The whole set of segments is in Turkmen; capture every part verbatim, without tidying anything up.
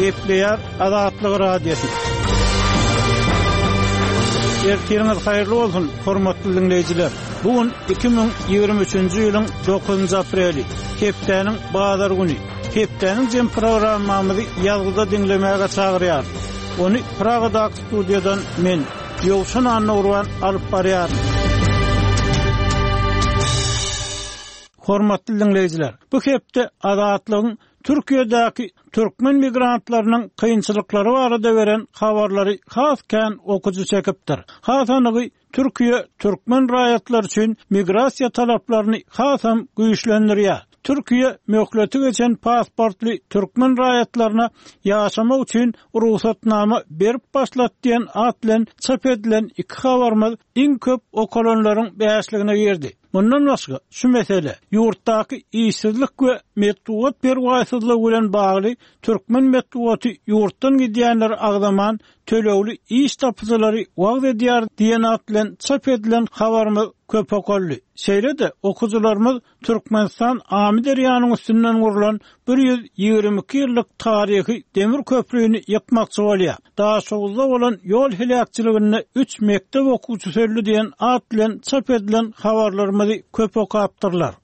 Gepleýär Azatlyk Radiosy. Ertiriňiz haýyrly bolsun, hormatly dinleýjiler. Bu gün iki müň ýigrimi üçünji ýylyň dokuzynjy apreli, hepdäniň bazar güni. Hepdäniň jem programmamyzy ýazgyda diňlemäge çagyrýar. Ony Pragadaky studiýadan men, Ýowşan Annagurban alyp barýaryn. Hormatly dinleýjiler, bu hepde Azatlygyň Türkiýedäki türkmen migrantlarynyň kynçylyklary barada beren habarlary has kän okyjy çekipdir. Has anygy, Türkiýe türkmen raýatlary üçin migrasiýa talaplaryny hasam güýçlendirýär. Türkiýe möhleti geçen pasportly türkmen raýatlaryna ýaşamak üçin rugsatnama berip başlady diýen at bilen çap edilen iki habarymyz iň köp okalanlaryň bäşligine girdi. Mundan başga şu mesele ýurtdaky işsizlik we metbugat perwaýsyzlygy bilen bagly türkmen metbugaty ýurtdan gidýänleri agzaman tölegli iş tapyjylary wagz edýär diýen at bilen çap edilen habarymyz köp okaldy. Şeýle-de okyjylarymyz Türkmenistan Amyderýanyň üstünden gurlan bir ýüz ýigrimi iki ýyllyk taryhy demir köprüni ýykmakçy bolýar. Daşoguzda bolan ýol heläkçiliginde üç mekdep okuwçysy öldi diýen at bilen çap edilen habarlarymyzy köp okapdyrlar.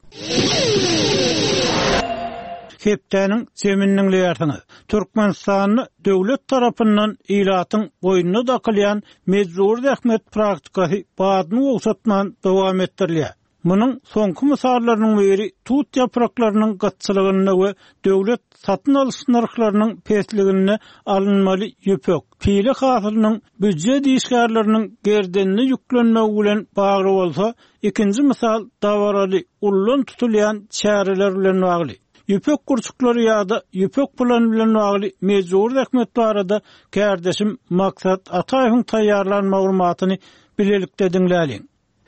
Hepdäniň zemini diňleýärsiňiz. Türkmenistanda döwlet tarapyndan ilatyň boýnuna dakylýan mejbur zähmet praktikasy badyny gowşatman dowam etdirilýär. Munuň soňky mysallarynyň biri tut ýapraklarynyň gytçylygynda we döwlet satyn alyş nyrhlarynyň pesliginde alynmaly ýüpek, pile hasylynyň býujet işgärleriniň gerdenine ýüklenmegi bilen bagly bolsa, ikinji mysal dabaraly ullan tutulýan çäreler bilen bagly. Ýüpek gurçuklary ýa-da ýüpek plan bilen bagly mejbur zähmet barada kärdeşim Maksat Ataýewiň taýýarlan maglumatyny bilelikde diňläliň.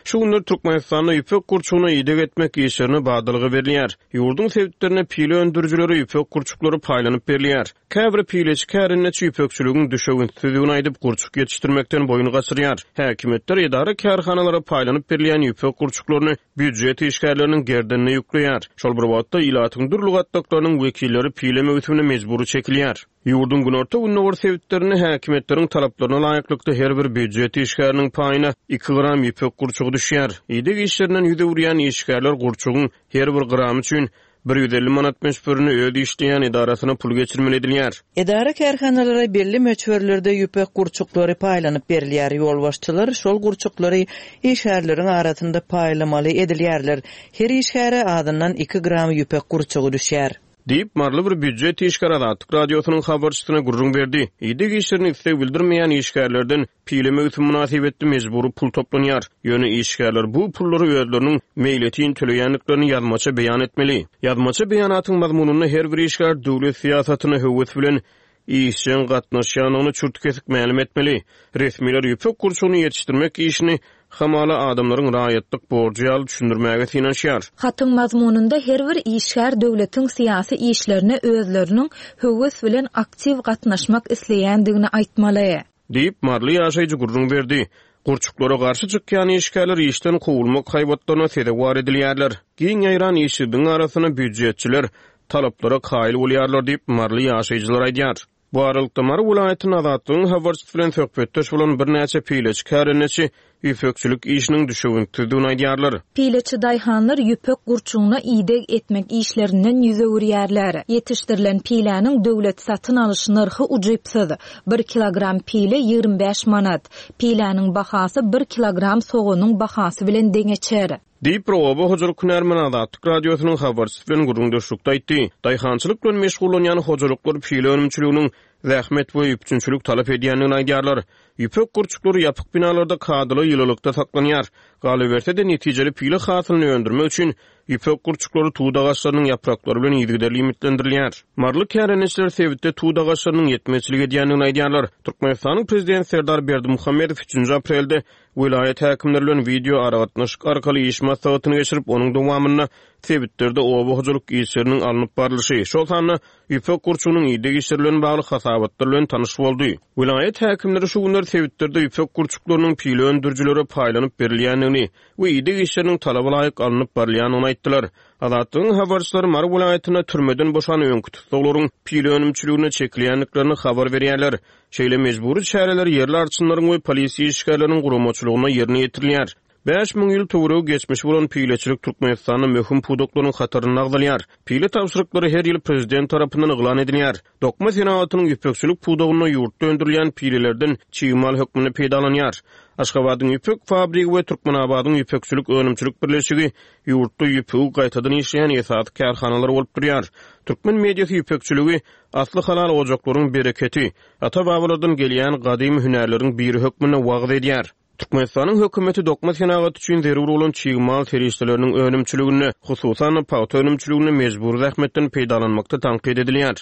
Şu günler Türkmenistanda ýüpek gurçugyna ideg etmek işlerine badalga berilýär. Ýurduň sebitlerine pile öndürijilere ýüpek gurçuklary paýlanyp berilýär. Käbir pileçi kärendeçi ýüpekçiligiň düşewüntsizligini aýdyp, gurçuk ýetişdirmekden boýun gaçyrýar. Häkimiýetler edara kärhanalara paýlanyp berilýän ýüpek gurçuklaryny býujet işgärleriniň gerdenine ýükleýär. Şol bir wagtda ilatyň dürli gatlaklarynyň wekilleri pile möwsümine mejbury çekilýär. Ýurduň günorta-gündogar sebitlerinde häkimiýetleriň talaplaryna laýyklykda her bir býujet işgäriniň paýyna iki gram ýüpek gurçugy düşýär. Ideg işlerinden ýüz öwürýän işgärler gurçugyň her bir gramy üçin bir ýüz elli manat möçberini öz işleýän edarasyna pul geçirmeli edilýär. Edara kärhanalara belli möçberlerde ýüpek gurçuklary paýlanyp berilýär. Ýolbaşçylar şol gurçuklary işgärleriň arasynda paýlamaly edilýärler. Her işgäre azyndan iki gram ýüpek gurçugy düşýär. Diýip, Maryly bir býujet işgäri Azatlyk Radiosynyň habarçysyna gürrüň berdi. Ideg işlerini isleg bildirmeýän işgärlerden pile möwsüm mynasybetli mejbury pul toplanýar. Ýöne işgärler bu pullary özleriniň meýletin töleýändiklerini ýazmaça beýan etmeli. Ýazmaça beýanatyň mazmunynda her bir işgär döwlet syýasatyna höwes bilen işjeň gatnaşýandygyny çürt kesik mälim etmeli. Resmiler ýüpek gurçugyny ýetişdirmek işini hamala adamlaryň raýatlyk borjy ýaly düşündirmäge synanyşýar. Hatyň mazmunynda her bir işgär döwletiň syýasy işlerine özleriniň höwes bilen aktiw gatnaşmak isleýändigini aýtmaly. Diýip, Maryly ýaşaýjy gürrüň berdi. Gurçuklara garşy çykýan işgärler işden kowulmak haýbatlaryna sezewar edilýärler. Giň ýaýran işsizligiň arasynda býujetçiler talaplara kaýyl bolýarlar diýip, Maryly ýaşaýjylar aýdýar. Bu aralykda Mary welaýatynyň Azatlygyň habarçysy bilen söhbetdeş bolan birnäçe pileçi kärendeçi ýüpekçilik işiniň düşewüntsizdigini aýdýarlar. Pileçi daýhanlar ýüpek gurçugyna ideg etmek işlerinden ýüz öwürýärler. Ýetişdirilen piläniň döwlet satyn alyş nyrhy ujypsyz. Bir kilogram pile ýigrimi bäş manat. Piläniň bahasy bir kilogram soganyň bahasy bilen deňeçer. Diýip, bir oba hojalyk hünärmeni Azatlyk Radiosynyň habarçysy bilen gürrüňdeşlikde aýtdy. Daýhançylyk bilen meşgullanýan hojalyklar pile önümçiliginiň zähmet we üpjünçilik talap edýändigini aýdýarlar. Ýüpek gurçuklary ýapyk binalarda kadaly ýylylykda saklanýar. Galyberse-de netijeli pile hasylyny öndürmek üçin ýüpek gurçuklary tut agaçlarynyň ýapraklary bilen yzygiderli iýmitlendirilýär. Maryly kärendeçiler sebitde tut agaçlarynyň ýetmezçilik edýändigini aýdýarlar. Türkmenistanyň Prezidenti Serdar Berdimuhamedow üçünji aprelde welaýat häkimleri bilen wideo aragatnaşyk arkaly iş maslahatyny geçirip, onuň dowamynda sebitlerde oba hojalyk işleriniň alnyp barlyşy, şol sanda ýüpek gurçugynyň ideg işleri bilen bagly hasabatlar bilen tanyş boldy. Welaýat häkimleri şu günler sebitlerde ýüpek gurçuklarynyň pile öndürijilere paýlanyp berilýändigini we ideg işleriniň talaba laýyk alnyp barylýandygyny aýtdylar. Azatlygyň habarçylary Mary welaýatynda türmeden boşan öňki tussaglaryň pile önümçiligine çekilýändiklerini habar berýärler. Şeýle mejbury çäreler ýerli arçynlaryň we polisiýa işgärleriniň guramaçylygynda ýerine ýetirilýär. Bäş müň ýyl töweregi geçmişi bolan pileçilik Türkmenistanda möhüm pudaklaryň hatarynda agzalýar. Pile tabşyryklary her ýyl prezident tarapyndan yglan edilýär. Dokma senagatynyň ýüpekçilik pudagynda ýurtda öndürilýän pilelerden çig mal hökmünde peýdalanýar. Aşgabadyň ýüpek fabrigi we Türkmenabadyň ýüpekçilik önümçilik birleşigi ýurtda ýüpegi gaýtadan işleýän esasy kärhanalar bolup durýar. Türkmen mediasy ýüpekçiligi asly halal ojaklaryň bereketi, ata-babalardan gelýän gadymy hünärleriň biri hökmünde wagyz edýär. Türkmenistanyň hökümeti dokma senagaty üçin zerur bolan çig mal serişdeleriniň önümçiliginde, hususan pagta önümçiliginde mejbury zähmetden peýdalanmakda tankyt edilýär.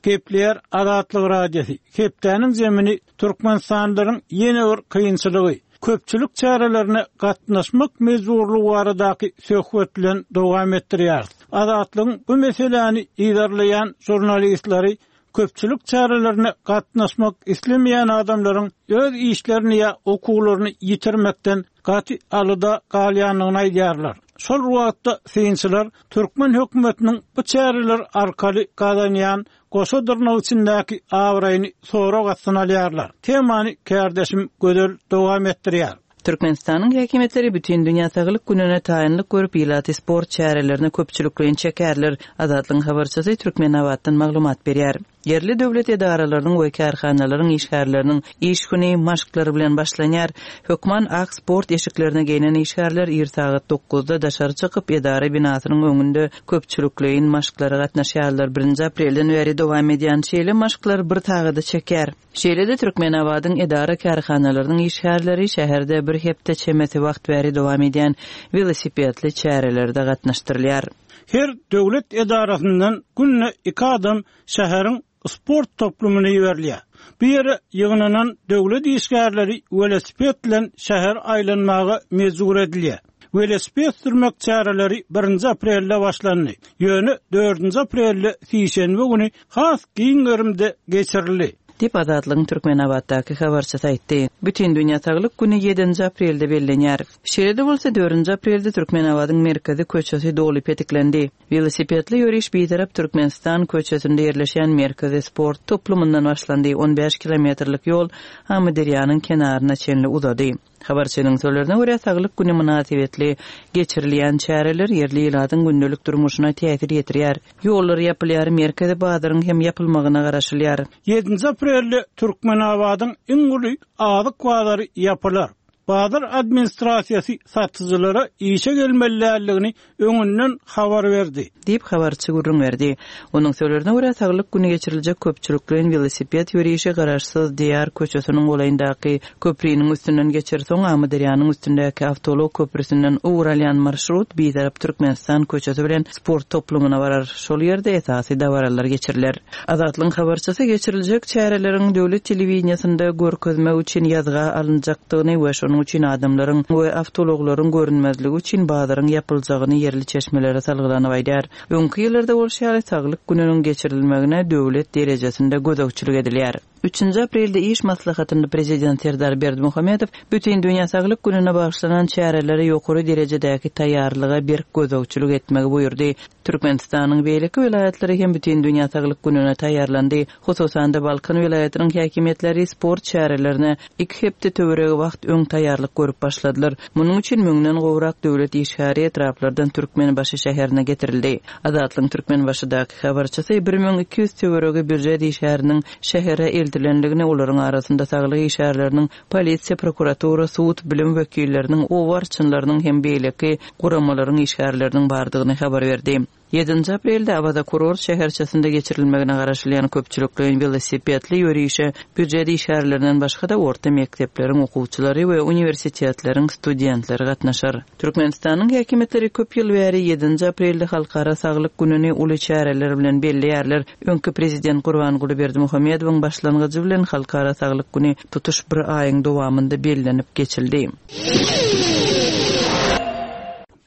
Gepleýär Azatlyk Radiosy. Hepdäniň zemini Türkmenistanlylaryň ýene bir kynçylygy, köpçülik çärelerine gatnaşmak mejburlygy baradaky söhbet bilen dowam etdirýär. Azatlygyň bu meseläni yzarlaýan žurnalistleri köpçülik çärelerine gatnaşmak islemeýän adamlaryň öz işlerini ýa okuwlaryny ýitirmekden gaty alyda galýandygyny aýdýarlar. Şol wagtda synçylar türkmen hökümetiniň bu çäreler arkaly gazanýan goşa dyrnak içindäki abraýyny sorag astyna alýarlar. Temany kärdeşim Gözel dowam etdirýär. Türkmenistanyň häkimiýetleri bütün Dünýä Saglyk gününe taýynlyk görüp ilaty sport çärelerine köpçülikleýin çekerler. Azatlygyň habarçysy Türkmenabatdan maglumat berýär. Ýerli döwlet edaralarynyň we kärhanalaryň işgärleriniň iş güni maşklary bilen başlanýar. Hökman ak sport eşiklerine geýnen işgärler ir sagat dokuzda daşary çykyp edara binasynyň öňünde köpçülikleýin maşklara gatnaşýarlar. Birinji aprelden bäri dowam edýän şeýle maşklar bir sagada çeker. Şeýle-de Türkmenabadyň edara kärhanalarynyň işgärleri şäherde bir hepde çemesi wagt bäri dowam edýän welosipedli çärelerde gatnaşdyrylýar. Her döwlet edarasyndan günde iki adam şäheriň sport toplumyna iberilýär. Bu ýere ýygnanan döwlet işgärleri welosiped bilen şäher aýlanmaga mejbur edilýär. Welosiped sürmek çäreleri birinji aprelde başlandy. Ýöne dördünji aprelde sişenbe güni has giň gerimde geçirildi. Diýip Azatlygyň Türkmenabatdaky habarçysy aýtdy. Bütün Dünýä Saglyk güni ýedinji aprelde bellenýär. Şeýle-de bolsa dördünji aprelde Türkmenabadyň merkezi köçesi doly petiklendi. Welosipedli ýöriş Bitarap Türkmenistan köçesinde ýerleşen merkezi sport toplumyndan başlandy. on bäş kilometrlik ýol Amyderýanyň kenaryna çenli uzady. Habarçynyň sözlerine görä Saglyk güni mynasybetli geçirilýän çäreler ýerli ilatyň gündelik durmuşyna täsir ýetirýär. Ýollar ýapylýar, merkezi bazaryň hem ýapylmagyna garaşylýar. Ýedinji aprelde Türkmenabadyň iň uly azyk bazary ýapylar. Bazar administrasiýasy satyjylara işe gelmeliligini öňünden habar berdi. Diýip habarçy gürrüň berdi. Onuň sözlerine görä Saglyk güni geçiriljek köpçülikleýin welosiped ýörişi garaşsyz Diýar köçesiniň golaýyndaky köpriniň üstünden geçer soň Amyderýanyň üstündäki awtoulag köprüsinden ugur alýan marşrut Bitarap Türkmenistan köçesi bilen sport toplumyna barar. Şol ýerde esasy dabaralar geçiriler. Azatlygyň habarçysy geçiriljek çäreleriň döwlet telewideniýasynda görkezmek üçin ýazga alynjakdygyny we şonuň üçin adamlaryň we awtoulaglaryň görünmezligi üçin bazaryň ýapyljagyny ýerli çeşmelere salgylanyp aýdar. Öňki ýyllarda bolşy ýaly Saglyk gününiň geçirilmegine döwlet derejesinde gözegçilik edilýär. Üçünji aprelde iş maslahatynda prezident Serdar Berdimuhamedow bütün Dünýä Saglyk gününe bagyşlanan çärelere ýokary derejedäki taýýarlyga berk gözegçilik etmegi buýurdy. Türkmenistanyň beýleki welaýatlary hem bütün Dünýä Saglyk gününe taýýarlandy. Hususan-da Balkan welaýatynyň häkimiýetleri sport çärelerine iki hepde töweregi wagt öň taýýarlyk görüp başladylar. Munuň üçin müňden gowrak döwlet işgäri etraplardan Türkmenbaşy şäherine getirildi. Azatlygyň Türkmenbaşydaky habarçysy bir müň iki ýüz töweregi býujet işgäriniň şähere eltilendigini, olaryň arasynda saglyk işgärleriniň, polisiýa, prokuratura, sud, bilim wekilleriniň, oba arçynlarynyň hem beýleki guramalaryň işgärleriniň bardygyny habar berdi. Ýedinji aprelde Awaza kurort şäherçesinde geçirilmegine garaşylýan köpçülikleýin welosipedli ýörişe býujet işgärlerinden başga-da orta mekdepleriň okuwçylary we uniwersitetleriň studentleri gatnaşar. Türkmenistanyň häkimiýetleri köp ýyl bäri ýedinji aprelde Halkara Saglyk gününi uly çäreler bilen belleýärler. Öňki prezident Gurbanguly Berdimuhamedowyň başlangyjy bilen Halkara Saglyk günü tutuş bir aýyň dowamynda bellenip geçildi.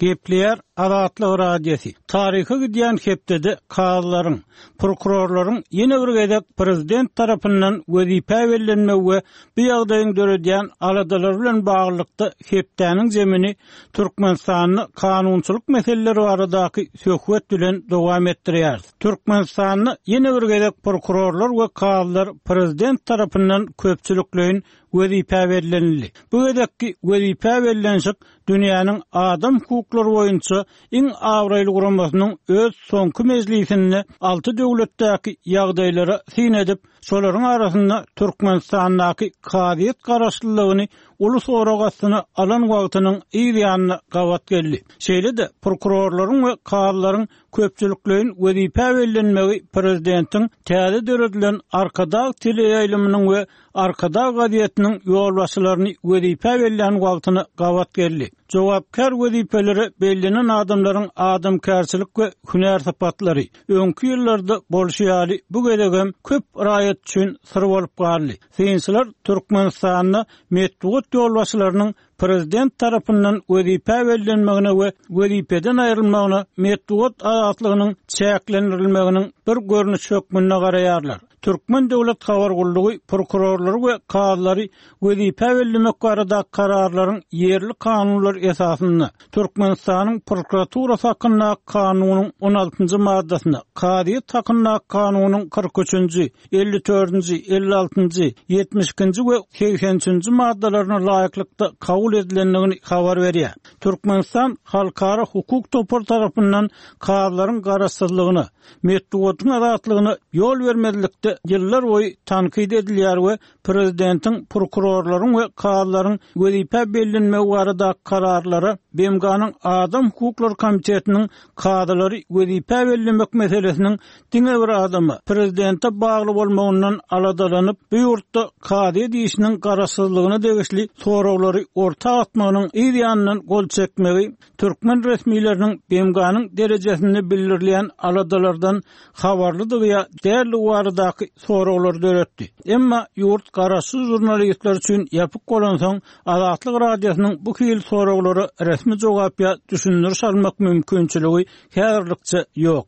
Gepleýär Azatlyk Radiosy. Taryha gidýän hepdede kazylaryň, prokurorlaryň ýene bir gezek prezident tarapyndan wezipä bellenmegi we bu ýagdaýyň döredýän aladalary bilen baglylykda hepdäniň zemini Türkmenistanda kanunçylyk meseleleri baradaky söhbet bilen dowam etdirýär. Türkmenistanda ýene bir gezek prokurorlar we kazylar prezident tarapyndan köpçülikleýin wezipä bellenildi. Bu gezekki wezipä bellenişik dünýäniň adam hukuklary boýunça iň abraýly guramasynyň öz soňky mejlisinde alty döwletdäki ýagdaýlara syn edip, şolaryň arasynda Türkmenistandaky kazyýet garaşlylygyny uly sorag astyna alan wagtynyň yz ýanyna gabat geldi. Şeýle-de prokurorlaryň we kazylaryň köpçülikleýin wezipä bellenmegi prezidentiň täze döredilen Arkadag teleýaýlymynyň we Arkadag gazetiniň ýolbaşçylaryny wezipä bellän wagtyna gabat geldi. Jogapkär wezipelere bellenen adamlaryň adamkärçilik we hünär sypatlary öňki ýyllarda bolşy ýaly bu gezegem köp raýat üçin syr bolup galdy. Synçylar Türkmenistanda metbugat ýolbaşçylarynyň prezident tarapyndan wezipä bellenmegine we wezipeden aýrylmagyna metbugat azatlygynyň çäklendirilmeginiň bir görnüşi hökmünde garaýarlar. Türkmen Döwlet Habar Gullugy prokurorlary we kazylary wezipä bellemek barada kararlaryň ýerli kanunlar esasynda Türkmenistanyň prokuraturasy hakynda kanunyň on altynjy maddasyna, kazyýet hakynda kanunyň kyrk üçünji, elli dördünji, elli altynjy, ýetmiş ikinji we segsen üçünji maddalaryna laýyklykda kabul edilendigini habar berýär. Türkmenistan Halkara Hukuk Topary tarapyndan kazylaryň garaşsyzlygyna, metbugatyň azatlygyna ýol bermezlikde ýyllar boýy tankyt edilýär we prezidentiň prokurorlaryň we kazylaryň wezipä bellenmegi barada kararlara B M G-nyň Adam Hukuklary Komitetiniň kazylary wezipä bellemek meselesiniň diňe bir adama prezidente bagly bolmagyndan aladalanyp, bu ýurtda kazyýet işiniň garaşsyzlygyna degişli soraglary orta atmagynyň yz ýanyndan gol çekmegi türkmen resmileriniň B M G-nyň derejesinde bildirilýän aladalardan habarlydygy ýa däldigi baradaky soraglary döretdi. Emma ýurt garaşsyz jurnalistler üçin ýapyk bolansoň, Azatlyk Radiosynyň bu hil soraglara resmi jogap ýa düşündiriş almak mümkinçiligi häzirlikçe ýok.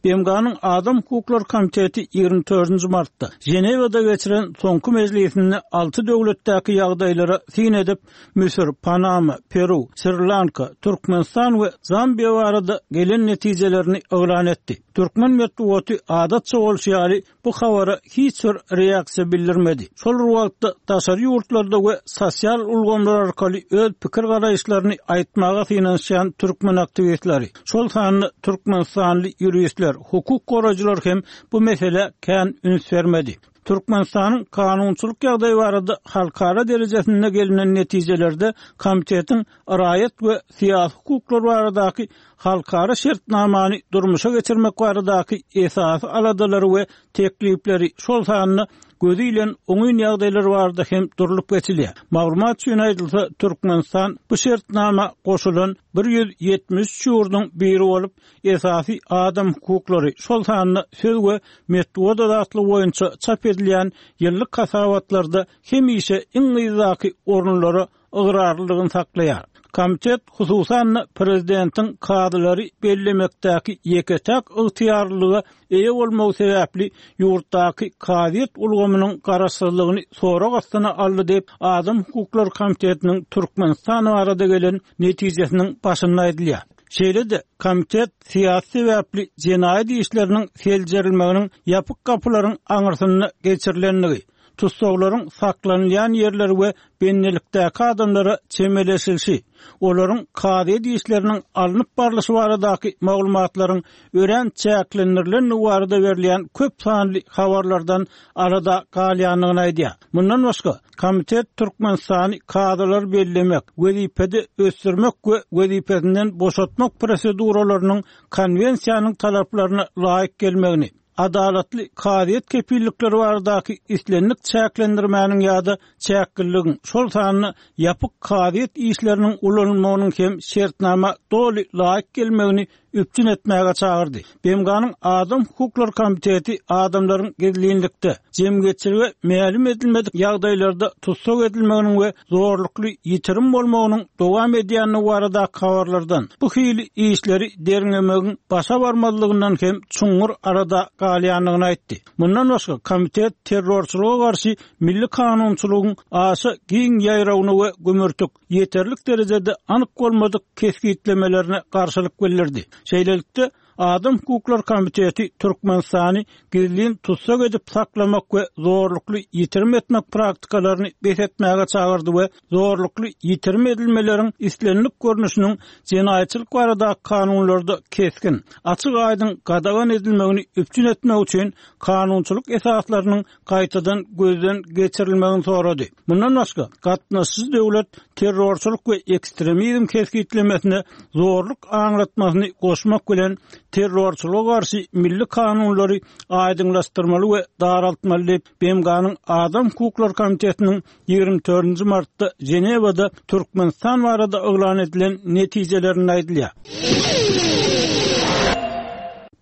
B M G-nyň Adam Hukuklary Komiteti ýigrimi dördünji martda Ženewada geçiren soňky mejlisinde alty döwletdäki ýagdaýlara syn edip, Müsür, Panama, Peru, Sri-Lanka, Türkmenistan we Zambiýa barada gelen netijelerini yglan etdi. Türkmen metbugaty adatça bolşy ýaly bu habara hiç bir reaksiýa bildirmedi. Şol bir wagtda daşary ýurtlarda we sosial ulgamlar arkaly öz pikir garaýyşlaryny aýtmaga synanyşýan türkmen aktiwistleri, şol sanda Türkmenistanly ýuristler, hukuk goraýjylar hem bu mesele kän üns bermedi. Türkmenistanyň kanunçylyk ýagdaýy barada halkara derejesinde gelinen netijelerde komitetiň raýat we syýasy hukuklar baradaky halkara şertnamany durmuşa geçirmek baradaky esasy aladalary we teklipleri, şol sanda gözi bilen oňyn ýagdaýlar barada hem durlup geçilýär. Maglumat üçin aýdylsa, Türkmenistan bu şertnama goşulan bir ýüz ýetmiş üç ýurduň biri bolup, esasy adam hukuklary, şol sanda söz we metbugat azatlygy boýunça çap edilýän ýyllyk hasabatlarda hemişe iň yzdaky orunlara ygrarlylygyny saklaýar. Komitet hususan prezidentiň kazylary bellemekdäki ýeke-täk ygtyýarlylyga eýe bolmagy sebäpli ýurtdaky kazyýet ulgamynyň garaşsyzlygyny sorag astyna aldy diýip, Adam Hukuklary Komitetiniň Türkmenistan barada gelen netijesiniň başynda aýdylýar. Şeýle-de komitet syýasy sebäpli jenaýat işleriniň seljerilmeginiň ýapyk gapylaryň aňyrsynda geçirilendigi, tussaglaryň saklanylýan ýerleri we bendilikdäki adamlara çemeleşilişi, olaryň kazyýet işleriniň alnyp barlyşy baradaky maglumatlaryň örän çäklendirilendigi barada berilýän köp sanly habarlardan alada galýandygyny aýdýar. Mundan başga, komitet Türkmenistany kazylar bellemek, wezipede ösdürmek we wezipesinden boşatmak proseduralarynyň konwensiýanyň talaplaryna laýyk gelmegini, adalatly kazyýet kepillikleri baradaky islendik çäklendirmäniň ýa-da çäkligiň, şol sanda ýapyk kazyýet işleriniň ulanylmagynyň hem şertnama doly laýyk gelmegini üpjün etmäge çagyrdy. B M G-nyň Adam Hukuklary Komiteti adamlaryň gizlinlikde, jemgyýetçilige mälim edilmedik ýagdaýlarda tussag edilmeginiň we zorlukly ýitirim bolmagynyň dowam edýänligi barada habarlardan bu hili işleri derňemegiň başa barmazlygyndan hem çuňňur alada galýandygyny aýtdy. Mundan başga komitet terrorçylyga garşy milli kanunçylygyň aşa giň ýaýrawyny we gümürtik ýeterlik derejede anyk bolmadyk kesgitlemelerine garşylyk bildirdi. Şeýlelikde Adam Hukuklary Komiteti Türkmenistany gizlin tussag edip saklamak we zorlukly ýitirim etmek praktikalaryny bes etmäge çagyrdy we zorlukly ýitirim edilmeleriň islendik görnüşiniň jenaýatçylyk barada kanunlarda kesgin, açyk aýdyň gadagan edilmegini üpjün etmek üçin kanunçylyk esaslarynyň gaýtadan gözden geçirilmegini sorady. Mundan başga gatnaşyjy döwlet terrorçylyk we ekstremizm kesgitlemesine zorluk aňlatmasyny goşmak bilen terrorçylyga garşy milli kanunlary aýdyňlaşdyrmaly we daraltmaly diýip B M G-nyň Adam Hukuklary Komitetiniň ýigrimi dördünji martda Ženewada Türkmenistan barada yglan edilen netijelerinde aýdylýar.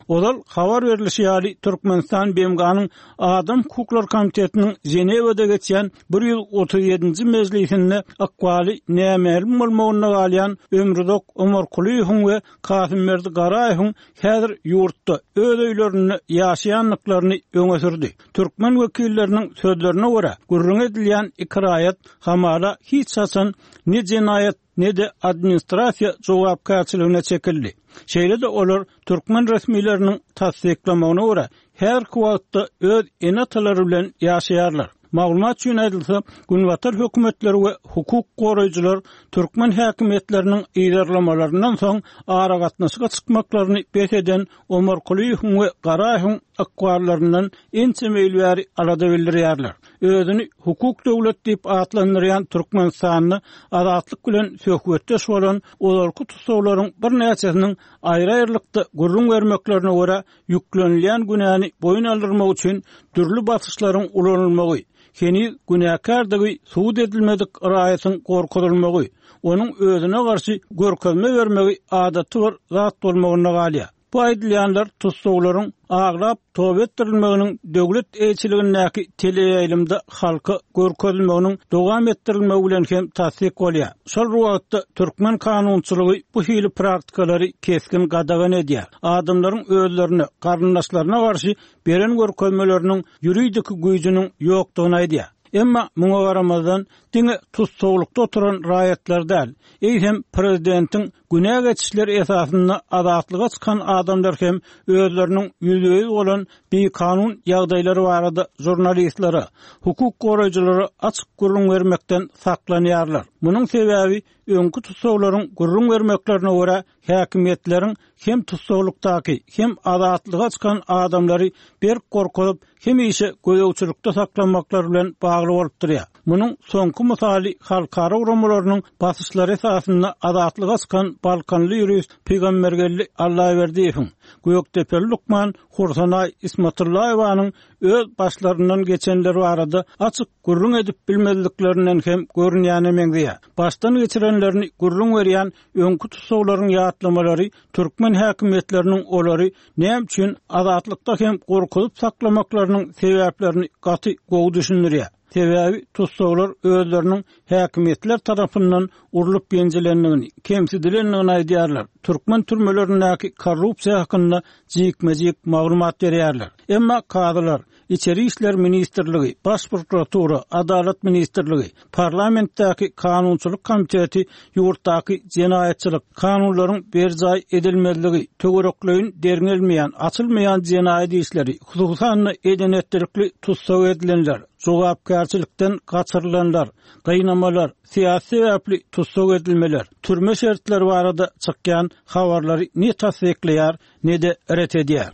Ozal habar berilişi ýaly, Türkmenistan B M G-nyň Adam Hukuklary Komitetiniň Ženewada geçýän ýüz otuz ýedinji mejlisinde ykbaly nämälim bolmagynda galýan Ömruzak Omarkulyýewiň we Kasymberdi Garaýewiň häzir ýurtda öz öýlerinde ýaşaýandyklaryny öňe sürdi. Türkmen wekilleriniň sözlerine görä, gürrüň edilýän iki raýat hamala hiç haçan ne jenaýat ne de administrasiýa jogapkärçiligine çekildi. Şeýle-de olar türkmen resmileriniň tassyklamagyna görä, her wagtda öz ene-atalary bilen ýaşaýarlar. Maglumat üçin aýdylsa, Günbatar hökümetleri we hukuk goraýjylar türkmen häkimiýetleriniň yzarlamalaryndan soň aragatnaşyga çykmaklaryny bes eden Omarkulyýewiň we Garaýewiň ykballaryndan ençeme ýyl bäri alada bildirýärler. Özüni hukuk döwlet diýip atlandyrýan Türkmenistanda Azatlyk bilen söhbetdeş bolan ozalky tussaglaryň birnäçesiniň aýry-aýrylykda gürrüň bermeklerine görä, ýüklenilýän günäni boýun aldyrmak üçin dürli basyşlaryň ulanylmagy, heniz günäkärdigi subut edilmedik raýatyň gorkuzylmagy, onuň özüne garşy görkezme bermegi adaty bir zat bolmagynda galýar. Bu aýdylýanlar tussaglaryň aglap toba etdirilmeginiň döwlet eýeçiligindäki teleýaýlymda halka görkezilmeginiň dowam etdirilmegi bilen hem tassyk bolýar. Şol wagtda türkmen kanunçylygy bu hili praktikalary kesgin gadagan edýär. Adamlaryň özlerine, garyndaşlaryna garşy beren görkezmeleriniň ýuridik güýjüniň ýokdugyny aýdýar. Emma muňa garamazdan diňe tussaglykda oturan raýatlar däl, eýsem prezidentiň günä geçişleri esasynda azatlyga çykan adamlar hem özleriniň ýüzbe-ýüz bolan bikanun ýagdaýlary barada žurnalistlere, hukuk goraýjylara açyk gürrüň bermekden saklanýarlar. Munuň sebäbi öňki tussaglaryň gürrüň bermeklerine görä häkimiýetleriň hem tussaglykdaky hem azatlyga çykan adamlary berk gorkuzyp, hemişe gözegçilikde saklamaklary bilen bagly bolup durýar. Munuň soňky mysaly halkara guramalarynyň basyşlary esasynda azatlyga çykan Balkanly ýurist Pygambergeldi Allaberdiýewiň, Gökdepeli lukman Hursanaý Ismatullaýewanyň öz başlaryndan geçenler barada açyk gürrüň edip bilmezliklerinden hem görünýäne meňzeýär. Başdan geçirenlerini gürrüň berýän öňki tussaglaryň ýatlamalary türkmen häkimiýetleriniň olary näme üçin azatlykda hem gorkuzyp saklamaklarynyň sebäplerini gaty gowy düşündirýär. Sebäbi tussaglar özleriniň häkimiýetler tarapyndan urlup ýenjilendigini, kemsidilendigini aýdýarlar. Türkmen türmelerindäki korrupsiýa hakynda jikme-jik maglumat berýärler. Emma kazylar, Içeri işler ministrligi, Baş prokuratura, Adalat ministrligi, parlamentdäki kanunçylyk komiteti ýurtdaky jenaýatçylyk kanunlaryň berjaý edilmezligi, töwerekleýin derňelmeýän, açylmaýan jenaýat işleri, hususan eden-etdilikli tussag edilenler, jogapkärçilikden gaçyrylanlar, gynamalar, syýasy sebäpli tussag edilmeler, türme şertleri barada çykýan habarlary ne tassyklaýar, ne de ret edýär.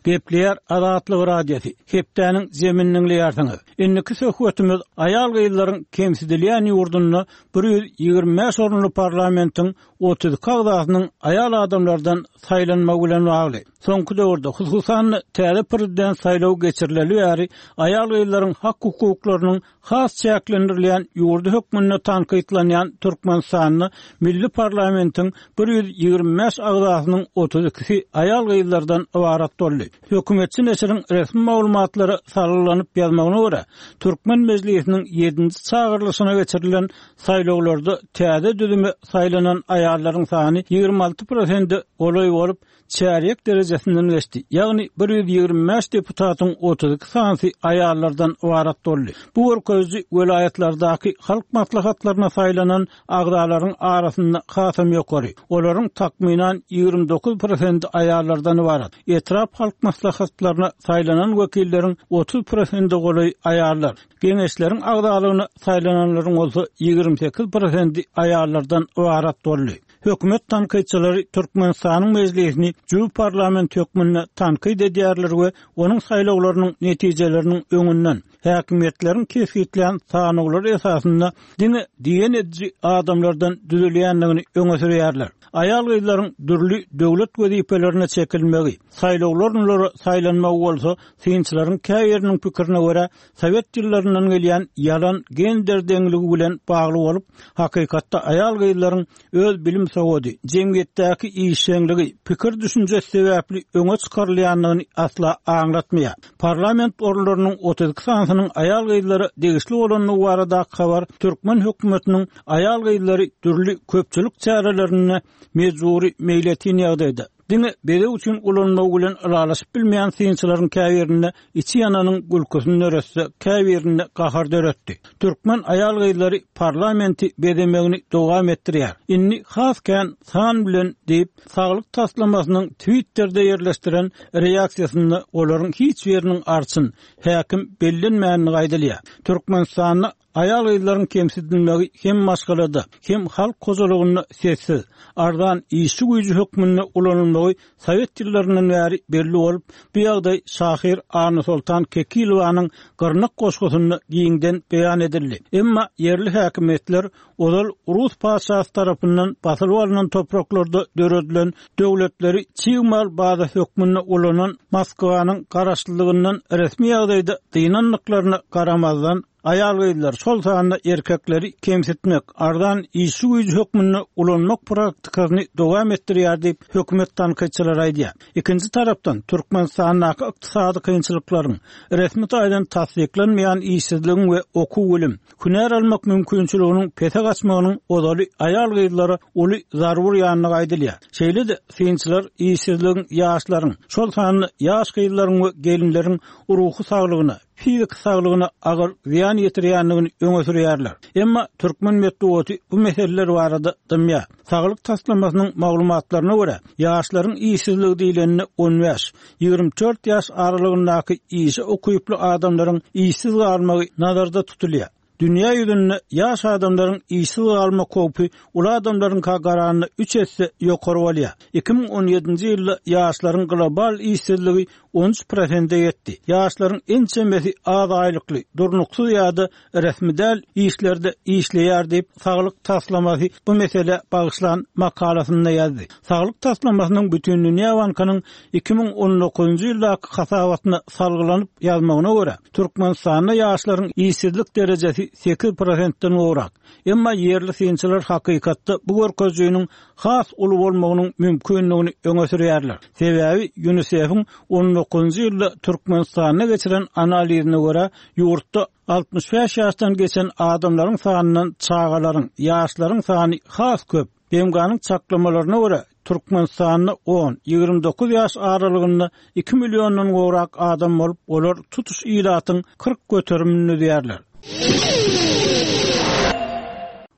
Gepleýär Azatlyk Radiosy. Hepdäniň zemini diňleýärsiňiz. Indiki söhbetimiz aýal-gyzlaryň kemsidilýän ýurdunda bir ýüz ýigrimi bäş orunly parlamentiň otuz iki agzasynyň aýal adamlardan saýlanmagy bilen bagly. Soňky döwürde hususan täze prezident saýlawy geçirileli bäri aýal-gyzlaryň hak-hukuklarynyň has çäklendirilýän ýurdy hökmünde tankytlanýan Türkmenistanda milli parlamentiň bir ýüz ýigrimi bäş agzasynyň otuz ikisi aýal-gyzlardan ybarat boldy. Hökümetçi neşiriň resmi maglumatlary salgylanyp ýazmagyna görä, Türkmen mejlisiniň ýedinji çagyrylyşyna geçirilen saýlawlarda täze düzüme saýlanan aýallaryň sany ýigrimi alty prosente golaý bolup, çärýek derejesinden geçdi. Ýagny bir ýüz ýigrimi bäş deputatyň otuz iki sanysy aýallardan ybarat boldy. Bu görkeziji welaýatlardaky halk maslahatlaryna saýlanan agzalaryň arasynda hasam ýokary. Olaryň takmynan ýigrimi dokuz prosenti aýallardan ybarat. Etrap halk maslahatlaryna saýlanan wekilleriň otuz prosenti golaý aýallar. Geňeşleriň agzalygyna saýlananlaryň bolsa ýigrimi sekiz prosenti aýallardan ybarat boldy. Hökümet tankytçylary Türkmenistanyň mejlisini jüw parlament hökmünde tankyt edýärler we onuň saýlawlarynyň netijeleriniň öňünden häkimiýetleriň kesgitlän sanawlary esasynda diňe diýen ediji adamlardan düzülýändigini öňe sürýärler. Aýal-gyzlaryň dürli döwlet wezipelerine çekilmegi, saýlawlaryna saýlanmagy bolsa synçylaryň käýeriniň pikirine görä Sowet ýyllaryndan gelýän ýalan gender deňligi bilen bagly bolup, hakykatda aýal-gyzlaryň öz bilim sowady, jemgyýetdäki işjeňligi, pikir düşünjesi sebäpli öňe çykarylýandygyny asla aňlatmaýar. Parlament orunlarynyň otuz iki sanysynyň aýal-gyzlara degişli bolandygy baradaky habar türkmen hökümetiniň aýal-gyzlary dürli köpçülik çärelerinde mejbury meýletin ýagdaýda diňe bezeg üçin ulanmagy bilen ylalaşyp bilmeýän synçylaryň käbirinde içi ýananyň gülküsini döretse, käbirinde gahar döretdi. Türkmen aýal-gyzlary parlamenti bezemegini dowam etdirýär. Indi has kän san bilen diýip, saglyk taslamasynyň Twitterde ýerleşdiren reaksiýasynda olaryň hiç biriniň arçyn, häkim bellenmänini aýdylýar. Türkmenistanda aýal-gyzlaryň kemsidilmegi hem maşgalada, hem halk hojalygynda sessiz, arzan işçi güýji hökmünde ulanylmagy Sowet ýyllaryndan bäri belli bolup, bu ýagdaý şahyr Annasoltan Kekilowanyň Gyrnak goşgusynda giňden beýan edildi. Emma ýerli häkimiýetler ozal Rus patyşasy tarapyndan basylyp alnan topraklarda döredilen döwletleri çig mal baza hökmünde ulanan Moskwanyň garaşlylygyndan resmi ýagdaýda dynandyklaryna garamazdan aýal-gyzlar, şol sanda erkekleri kemsitmek, arzan işçi güýji hökmünde ulanmak praktikasyny dowam etdirýär diýip hökümet tankytçylary aýdýar. Ikinji tarapdan Türkmenistandaky ykdysady kynçylyklaryň resmi taýdan tassyklanmaýan işsizligiň we okuw bilim, hünär almak mümkinçiliginiň pese gaçmagynyň ozaly aýal-gyzlara uly zarar urýandygy aýdylýar. Şeýle-de synçylar işsizligiň ýaşlaryň, şol sanda ýaş gyzlaryň we gelinleriň ruhy saglygyna, fiziki saglygyna agyr zyýan ýetirýändigini öňe sürýärler. Emma türkmen metbugaty bu meseleler barada dymýar. Saglyk taslamasynyň maglumatlaryna görä, ýaşlaryň işsizligi diýleninde on bäş, ýigrimi dört ýaş aralygyndaky işe ukyply adamlaryň işsiz galmagy nazarda tutulýar. Dünýä ýüzünde ýaş adamlaryň işsiz galma howpy uly adamlaryň garanyna üç esse ýokary bolýar. Iki müň on ýedinji ýylda ýaşlaryň global işsizligi on üç prosente ýetdi. Ýaşlaryň ençemesi az aýlykly, durnuksyz ýa-da resmi däl işlerde işleýär diýip, Saglyk taslamasy bu mesele bagyşlan makalasynda ýazdy. Saglyk taslamasynyň Bütindünýä Bankynyň iki müň on dokuzynjy ýyldaky hasabatyna salgylanyp ýazmagyna görä, Türkmenistanda ýaşlaryň işsizlik derejesi sekiz prosentden gowrak. Emma ýerli synçylar hakykatda bu görkezijiniň has uly bolmagynyň mümkindigini öňe sürýärler. Sebäbi UNICEF-iň on dokuzynjy ýylda Türkmenistanda geçiren analizine görä, ýurtda altmyş bäş ýaşdan geçen adamlaryň sanyndan çagalaryň, ýaşlaryň sany has köp. B M G-nyň çaklamalaryna görä, Türkmenistanda on, ýigrimi dokuz ýaş aralygynda iki milliondan gowrak adam bolup, olar tutuş ilatyň kyrk göterimini düzýärler.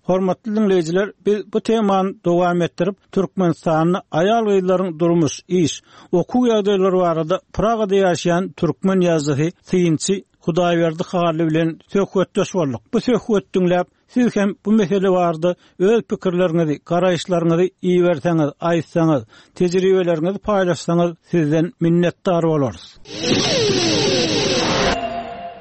Hormatly dinleýjiler, biz bu temany dowam etdirip, Türkmenistanda aýal-gyzlaryň durmuş, iş, okuw ýagdaýlary barada Pragada ýaşaýan türkmen ýazyjysy, synçy Hudaýberdi Hally bilen söhbetdeş bolduk. Bu söhbet diňläp, Siz hem bu mesele barada öz pikirleriňizi, garaýyşlaryňyzy iberseňiz, aýtsaňyz, tejribeleriňizi paýlaşsaňyz sizden minnetdar bolarys.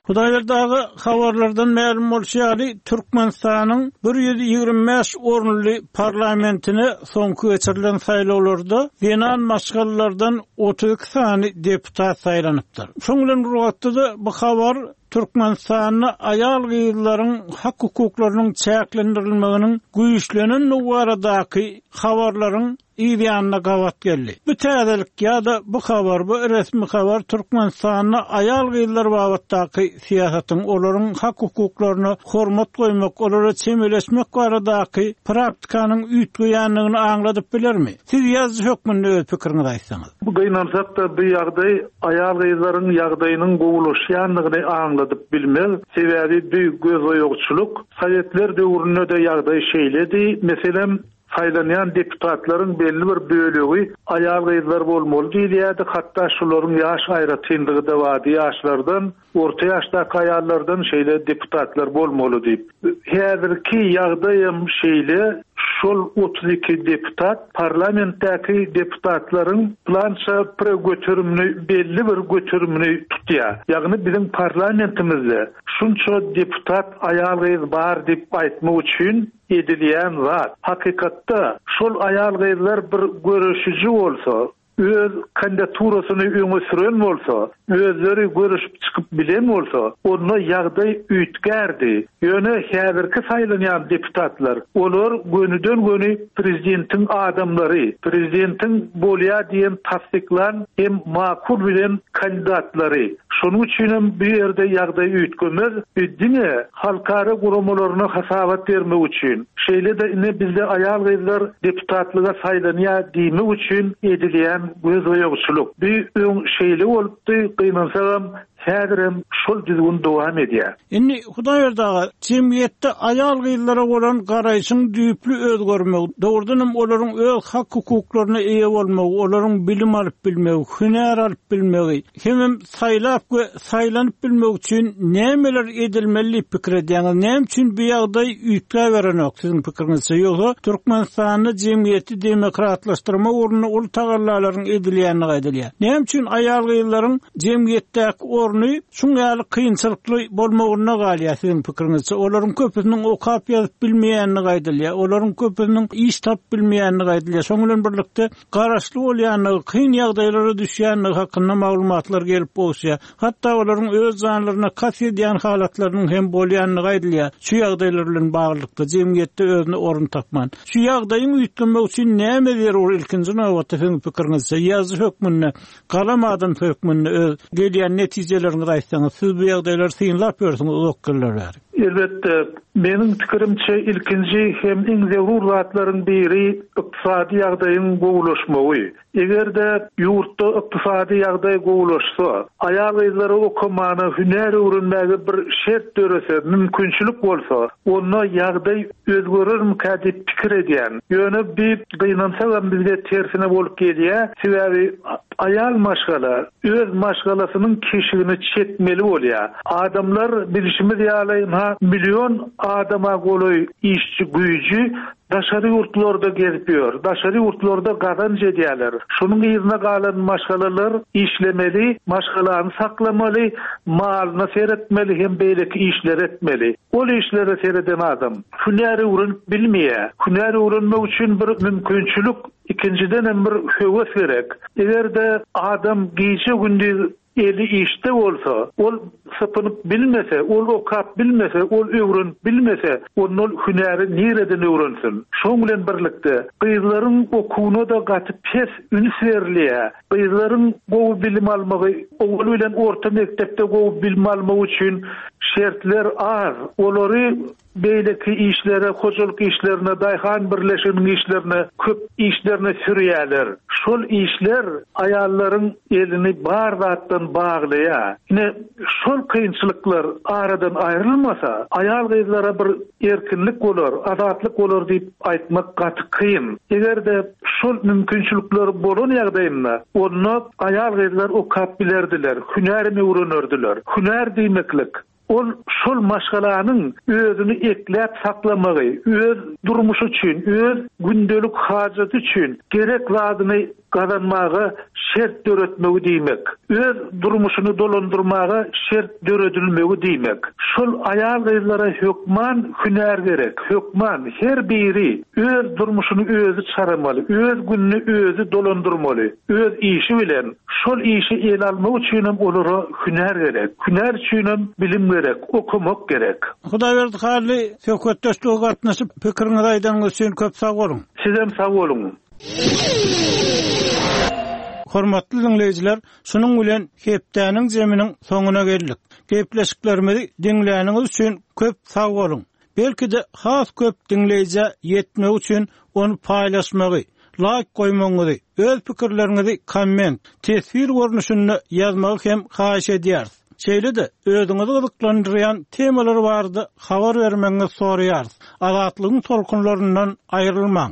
Hudaýberdi aga, habarlardan mälim bolşy ýaly, Türkmenistanyň bir ýüz ýigrimi bäş orunly parlamentine soňky geçirilen saýlawlarda zenan maşgalalardan otuz iki sany deputat saýlanypdyr. Şoň bilen bir wagtda-da bu habar Türkmenistanda aýal gyzlaryň hak hukuklarynyň çäklendirilmeginiň güýçlenendigi baradaky habarlaryň yz ýanyna gabat geldi. Bu täzelik ýa-da bu habar, bu resmi habar Türkmenistanda aýal gyzlar babatdaky syýasatyň, olaryň hak hukuklaryna hormat goýmak, olara çemeleşmek baradaky praktikanyň üýtgeýändigini aňladyp bilermi? Siz ýazyjy hökmünde öz pikiriňizi aýtsaňyz. Bu gynansak-da bu ýagdaý aýal gyzlaryň ýagdaýynyň gowulaşýandygyny aňladyp bilmez. Sebäbi bu gözboýagçylyk Sowetler döwründe-de ýagdaý şeýledi. Meselem, saýlanýan deputatlaryň belli bir bölegi aýal gyzlar bolmaly diýilýärdi. Hatda şularyň ýaş aýratynlygy-da bardy. Ýaşlardan, orta ýaşdaky aýallardan şeýle deputatlar bolmaly diýip. Häzirki ýagdaýam şeýle, şol otuz iki deputat parlamentdäki deputatlaryň plança bir göterimini, belli bir göterimini tutýar. Ýagny biziň parlamentimizde şunça deputat aýal gyz bar diýip aýtmak üçin edilýän zat. Hakykatda şol aýal gyzlar bir görüşüji bolsa, öz kandidaturasyny öňe süren bolsa, özleri görüşüp çykyp bilen bolsa, onda ýagdaý üýtgärdi. Ýöne häzirki saýlanýan deputatlar, olar gönüden göni prezidentiň adamlary, prezidentiň bolýa diýen tassyklan hem makul bilen kandidatlary. Şonuň üçin hem bu ýerde ýagdaý üýtgemez, diňe halkara guramalaryna hasabat bermek üçin, şeýle-de ine bizde aýal gyzlar deputatlyga saýlanýar diýmek üçin edilýän gözboýagçylyk. Bu öň şeýle bolupdy, gynansagam häzirem şol düzgün dowam edýär. Indi Hudaýberdi aga, jemgyýetde aýal gyzlara bolan garaýşyň düýpli özgermegi, dogrudan hem olaryň öz hak hukuklaryna eýe bolmagy, olaryň bilim alyp bilmegi, hünär alyp bilmegi, hemem saýlap we saýlanyp bilmek üçin nämeler edilmeli diýip pikir edýäňiz? Näme üçin bu ýagdaý üýtgäberenok siziň pikiriňizçe? Ýogsa Türkmenistanda jemgyýeti demokratlaşdyrmak ugrunda uly tagallalaryň edilýändigi aýdylýar. Näme üçin aýal gyzlaryň jemgyýetdäki orny şuň ýaly kynçylykly bolmagyna galýar siziň pikiriňizçe? Olaryň köpüsiniň okap ýazyp bilmeýändigi aýdylýar. Olaryň köpüsiniň iş tapyp bilmeýändigi aýdylýar. Şoň bilen birlikde garaşly bolýandygy, kyn ýagdaýlara düşýändigi hakynda maglumatlar gelip gowuşýar. Hatda olaryň öz janlaryna kast edýän halatlarynyň hem bolýandygy aýdylýar. Şu ýagdaýlar bilen baglylykda jemgyýetde özüne orun tapman. Şu ýagdaýyň üýtgemek üçin näme zerur ilkinji nobatda siziň pikiriňizçe? Ýazyjy hökmünde, galam adam hökmünde öz gelýän netijeleriňizi aýtsaňyz, siz bu ýagdaýlary synlap ýörsüňiz uzak ýyllar bäri. Elbetde, meniň pikirimçe ilkinji hem iň zerur zatlaryň biri ykdysady ýagdaýyň gowulaşmagy. Eger-de ýurtda ykdysady ýagdaý gowulaşsa, aýal gyzlary okamana, hünär öwrenmäge bir şert dörese, mümkinçilik bolsa, onda ýagdaý özgerermikä diýip pikir edýän. Ýöne bir gynansagam bizde tersine bolup gelýär, sebäbi aýal maşgala öz maşgalasynyň keşigini çekmeli bolýar. Adamlar bilişimiz ýaly, ha milyon adama golaý işçi güýji daşary ýurtlarda gezip ýör, daşary ýurtlarda gazanç edýärler. Şonuň ýerine galan maşgalalar işlemeli, maşgalany saklamaly, malyna seretmeli hem beýleki işler etmeli. Ol işlere sereden adam hünär öwrenip bilmeýär. Hünär öwrenmek üçin bir mümkinçilik, ikinjiden hem bir höwes gerek. Eger-de adam gije gündüz eli işte bolsa, ol sapanyp bilmese, ol okap bilmese, ol öwrenip bilmese, ondan hünäri nireden öwrensin? Şoň bilen birlikde gyzlaryň okuwyna da gaty pes üns berilýär. Gyzlaryň gowy bilim almagy, owal bilen orta mekdepde gowy bilim almagy üçin şertler az. Olary beýleki işlere, hojalyk işlerine, daýhan birleşiginiň işlerine, köp işlerine sürýärler. Şol işler aýallaryň elini bar zatdan baglaýar. Ine şol kynçylyklar aradan aýrylmasa, aýal gyzlara bir erkinlik bolar, azatlyk bolar diýip aýtmak gaty kyn. Eger-de şol mümkinçilikler bolan ýagdaýynda, onda aýal gyzlar okap bilerdiler, hünär öwrenerdiler. Hünär diýmeklik Ol şol maşgalanyň özüni ekläp saklamagy, öz durmuşy üçin, öz gündelik hajaty üçin gerek zadyny gazanmaga şert döretmegi diýmek. Öz durmuşyny dolandyrmaga şert döredilmegi diýmek. Şol aýal-gyzlara hökman hünär gerek, hökman her biri öz durmuşyny özi çaramaly, öz gününi özi dolandyrmaly, öz işi bilen. Şol işi ele almak üçinem olara hünär gerek. Hünär üçinem bilim gerek, okamak gerek. Hudaýberdi Hally, söhbetdeşlige gatnaşyp, pikiriňizi aýdanyňyz üçin köp sag boluň. Sizem sag boluň. Hormatly diňleýjiler, şunuň bilen hepdäniň zeminiň soňuna geldik. Gepleşiklerimizi diňläniňiz üçin köp sag boluň. Belki-de has köp diňleýjä ýetmek üçin ony paýlaşmagy, laýk goýmagyňyzy, öz pikirleriňizi komment, teswir görnüşinde ýazmagy hem haýyş edýäris. Şeýle-de özüňizi gyzyklandyrýan temalar barada habar bermegiňizi soraýarys. Azatlygyň tolkunlaryndan aýrylmaň.